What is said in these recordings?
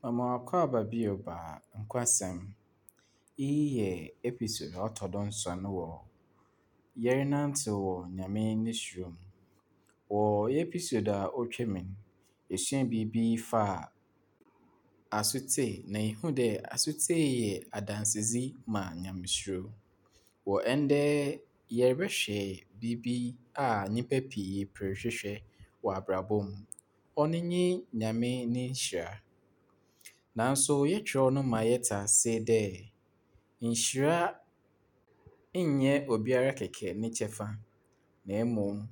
Mema wo akwaaba bio ba Nkwasɛm. Iyi yɛ episode a ɔtɔ do nson wɔ Yɛrenantsew wɔ Nyame ne suro mu. Wɔ episode a otwa mu no, yesua biribi faa asotsie na yehuu dɛ asotsie yɛ adansedzi ma Nyamesuro. Wɔ ndɛ yɛrebɛhwɛ biribi a nyimpa pii per hwehwɛ wɔ abrabɔ mu. Ɔno nye Nyame ne nhyira. Naaso yɛkyerɛw no ma yɛtse ase dɛ nhyira nnyɛ obiara kɛkɛ ne kyɛfa, na mbom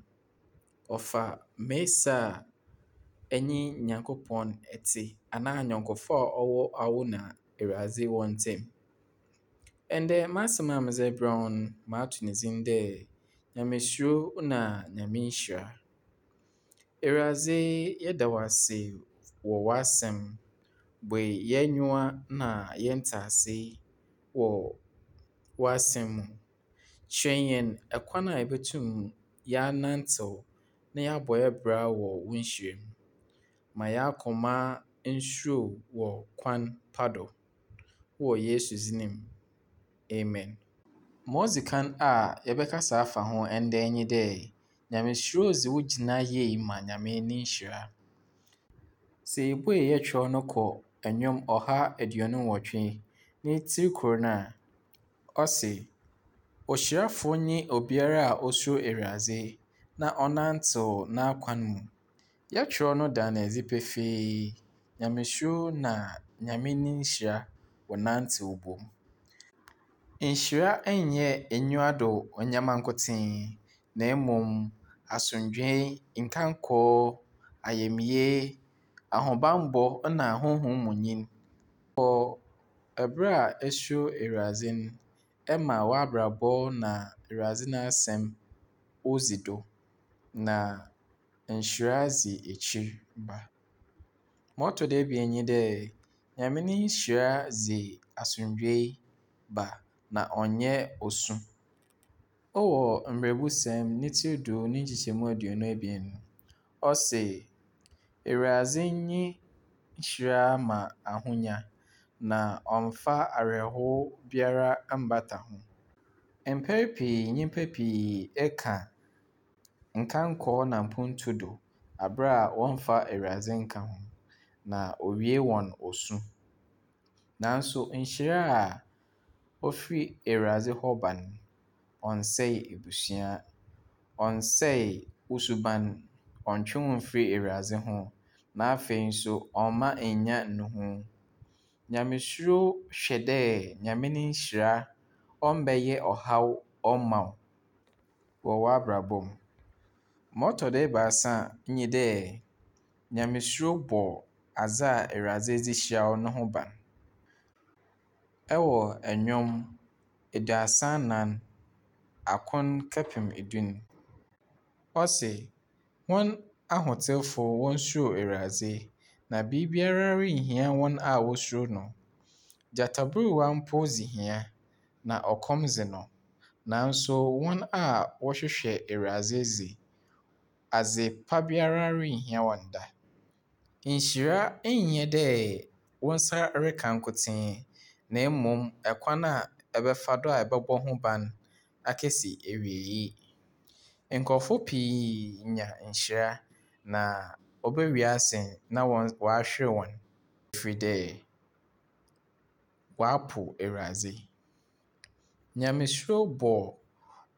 ɔfa mesi a enye Nyankopɔn tse anaa anyɛnkofo a ɔwɔ awo na Ewuradze hɔn ntamu. Ndɛ, m'asɛm a medze rebrɛ wo no, mato ne dzin dɛ Nyamesuro na Nyame nhyira. Ewuradze, yɛda wo ase wɔ w'asɛm. Bue hɛn enyiwa na hɛn ntseasee wɔ w'asɛm mu. Kyerɛ hɛn kwan a yebotum yɛanantsew na yɛabɔ hɛn bra wɔ wo nhyira mu. Ma hɛn akoma nsuro wo wɔ kwan pa do. Wɔ Yesu dzin mu, amen. Ma odzi kan a yɛbɛkasa afa ho ndɛ nye dɛ, Nyamesuro dze wo gyina yie ma Nyame ne nhyira. Sɛ yebue yɛn kyerɛw no kɔ Nnwom 128 ne tsir kor no a, ɔse, Ohyirafo nye obiara a osuro Ewuradze na ɔnantsew n'akwan mu. Yɛkyerɛw no da no edzi pefee, Nyamesuro na Nyame ne nhyira wɔnantsew bɔ mu. Nhyira nnyɛ enyiwa do ndzɛmba nkotsee, na mbom asomdwee, nkankɔ, ayamye, ahobambɔ na honhom mu nyin. Wɔ ber a esuro Ewuradze no, ɛma w'abrabɔ na Ewuradze n'asɛm odzi do, na nhyira dzi ekyir ba. Ma ɔtɔ do ebien nye dɛ, Nyame ne nhyira dze asomdwee ba, na ɔnnyɛ osu. Ɔwɔ Mberɛbusɛm ne tsir 10 ne nkyekyɛmu 22 no, ɔse, Ewuradze nye nhyira ma ahonya, na ɔmmfa awerɛhow biara mmbata ho. Mpɛn pii nyimpa pii ka nkankɔ na mpontu do aber a wɔmmfa Ewuradze nnka ho, na owie hɔn osu. Naaso nhyira a ofir Ewuradze hɔ ba no, ɔnnsɛɛ ebusua, ɔnnsɛɛ wo suban, ɔnntwe wo mmfir Ewuradze ho, na afei so ɔmma nnya nnuho. Nyamesuro hwɛ dɛ Nyame ne nhyira ɔmmbɛyɛ ɔhaw ɔmma wo wɔ w'abrabɔ mu. Ma ɔtɔ do ebiasa nye dɛ, Nyamesuro bɔ adze a Ewuradze dze hyira wo no ho ban. Ɛwɔ Nnwom 34 akron kɛpem du no, ɔse, Hɔn ahotsewfo wonsuro Ewuradze, na biribiara rinnhia hɔn a wosuro no. Gyataburuwa mpo dzi hia, na ɔkɔm dze no, naaso hɔn a wɔhwehwɛ Ewuradze dze, adze pa biara rinnhia hɔn da. Nhyira nnyɛ dɛ wo nsa reka nkotsee, na mbom kwan a ebɛfa do a ebɔbɔ ho ban akesi ewiei. Nkorɔfo pii nya nhyira na obewie ase na wɔahwer hɔn ɛfiri dɛ wɔapow Ewuradze. Nyamesuro bɔ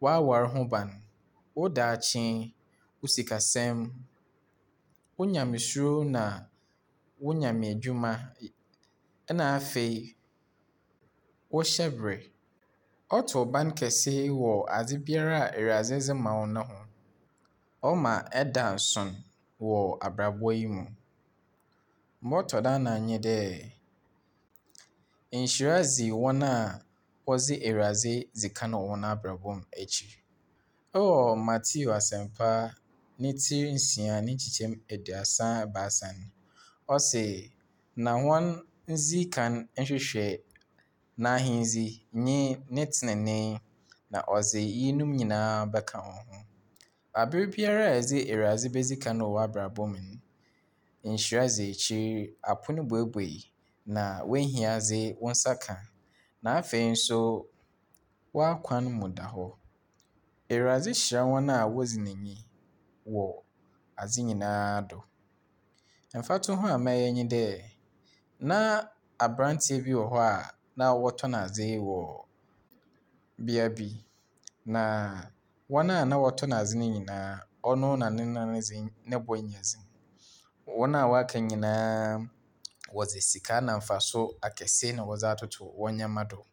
w'awar ho ban, wo daakye, wo sikasɛm, wo nyamesuro na wo nyame edwuma, na afei wo hyɛber. Ɔto ban kɛse wɔ adze biara a Ewuradze dze ma wo no ho. Ɔma ɛda nson wɔ abrabɔ yi mu. Ma ɔtɔ do anan nye dɛ, nhyira dzi hɔn a wɔdze Ewuradze dzi kan wɔ hɔn abrabɔ mu ekyir. Ewɔ Matthew Asɛmpa ne tsir 6 ne nkyekyɛmu 33 no, ɔse, Na hɔn ndzi kan nhwehwɛ n'ahendzi nye ne tsenenee, na ɔdze iyinom nyinaa bɛka wo ho. Aber biara a edze Ewuradze bedzi kan wɔ w'abrabɔ mu no, nhyira dzi ekyir, apon buebue. na w'ehiadze wo nsa ka. Na afei nso w'akwan mu da hɔ. Ewuradze hyira hɔn a wodzi no nyi wɔ adze nyinaa do. Mfatoho a mɛyɛ nye dɛ, na aberantsɛ bi wɔ hɔ a na wɔtɔn adze wɔ bea bi. Na hɔn a na wɔtɔn adze no nyinaa, ɔno na ne nan dze no bo nnyɛ dzen. Hɔn a wɔaka nyinaa wɔdze sika na mfaso akɛse na wɔdze atoto hɔn ndzɛmba do.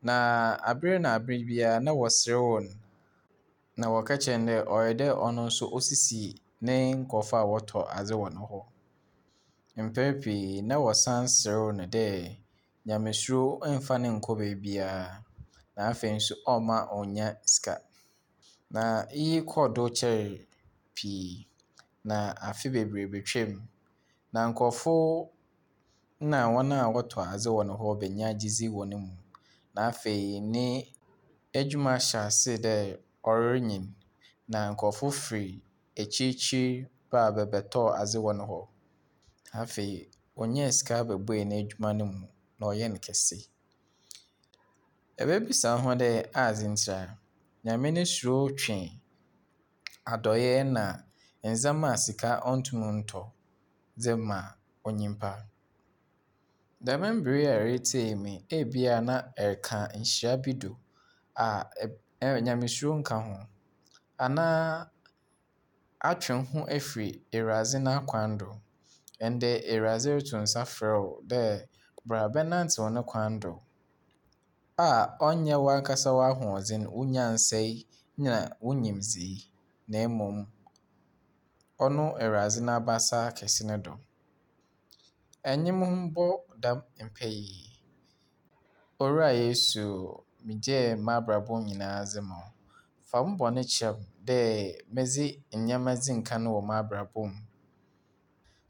Na aber na aber biara na wɔserew no, na wɔka kyerɛ no dɛ ɔyɛ dɛ ɔno nso osisi ne nkorɔfo a wɔtɔ adze wɔ no hɔ. Mpɛn pii na wɔsan serew no dɛ Nyamesuro mmfa no nnkɔ beebiara, na afei nso ɔmma onnya sika. Na iyi kɔr do kyɛree pii, na afe beberee betwaa mu, na nkorɔfo na hɔn a wɔtɔ adze wɔ no hɔ benyaa gyedzi wɔ no mu, na afei n'edwuma hyɛɛ ase dɛ ɔrenyin, na nkorɔfo fir ekyirkyir baa bɛbɛtɔɔ adze wɔ no hɔ. Afei onyaa sika buebue n'edwuma no mu na ɔyɛɛ no kɛse. Ebebisa woho dɛ adze ntsi a? Nyame no suro twe adɔyɛ na ndzɛmba a sika onntum nntɔ dze ma onyimpa. Dɛm mber yi a eretsie me yi, ebia na ereka nhyira bi do a Nyamesuro nnka ho anaa atwe woho efi Ewuradze n'akwan do. Ndɛ Ewuradze roto nsa frɛ wo dɛ bra bɛnantsew no kwan do a ɔnnyɛ wankasa w'ahoɔdzen, wo nyansae na wo nyimdzee na mbom ɔno Ewuradze n'abasa kɛse no do. Enye mo mbɔ dɛm mpaa yi. Owura Yesu, megyaa m'abrabɔ nyinaa dze ma wo. Fa mo bɔn kyɛ me dɛ medze ndzɛmba dzii nkan wɔ m'abrabɔ mu.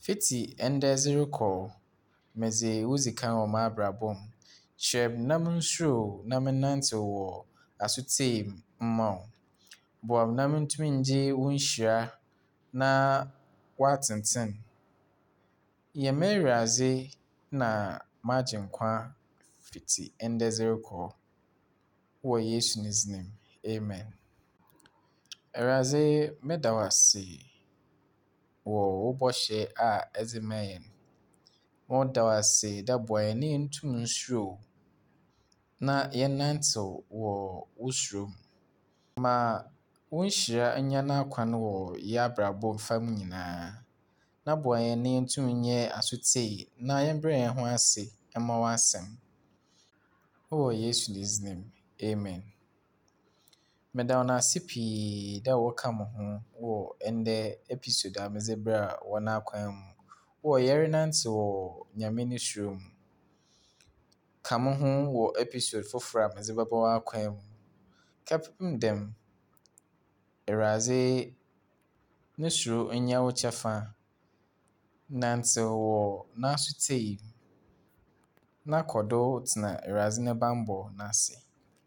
Fitsi ndɛ dze rokɔ, medze wo dzi kan wɔ m'abrabɔ mu. Kyerɛ me na munsuro wo na mennantsew wɔ asotsie mu mma wo. Boa me na mentum ngye wo nhyira na w'atsentsen. Yɛ m'Ewuradze na m'Agyenkwa fitsi ndɛ dze rokɔ. Wɔ Yesu ne dzin mu, amen. Ewuradze, meda wo ase wɔ wo bɔhyɛ a edze ma hɛn. Meda wo ase dɛ boa hɛn na yentum nsuro wo na yɛnnantsew wɔ wo suro mu. Ma wo nhyira nya n'akwan wɔ yɛabrabɔ fam nyinaa, na boa hɛn na yentum nyɛ asotsie na yɛmbrɛ hɛn ho ase mma w'asɛm. Wɔ Yesu ne dzin mu, amen. Meda hɔn ase pii dɛ wɔka mo ho wɔ ndɛ episode a medze brɛɛ wɔ n'akwan mu wɔ yɛrenantsew wɔ Nyame no suro mu. Ka mo ho wɔ episode fofor a medze bɛba w'akwan mu. Kɛpem dɛm, Ewuradze no suro nyɛ wo kyɛfa. Nantsew wɔ n'asotsie mu na kɔ do tsena Ewuradze ne bambɔ n'ase.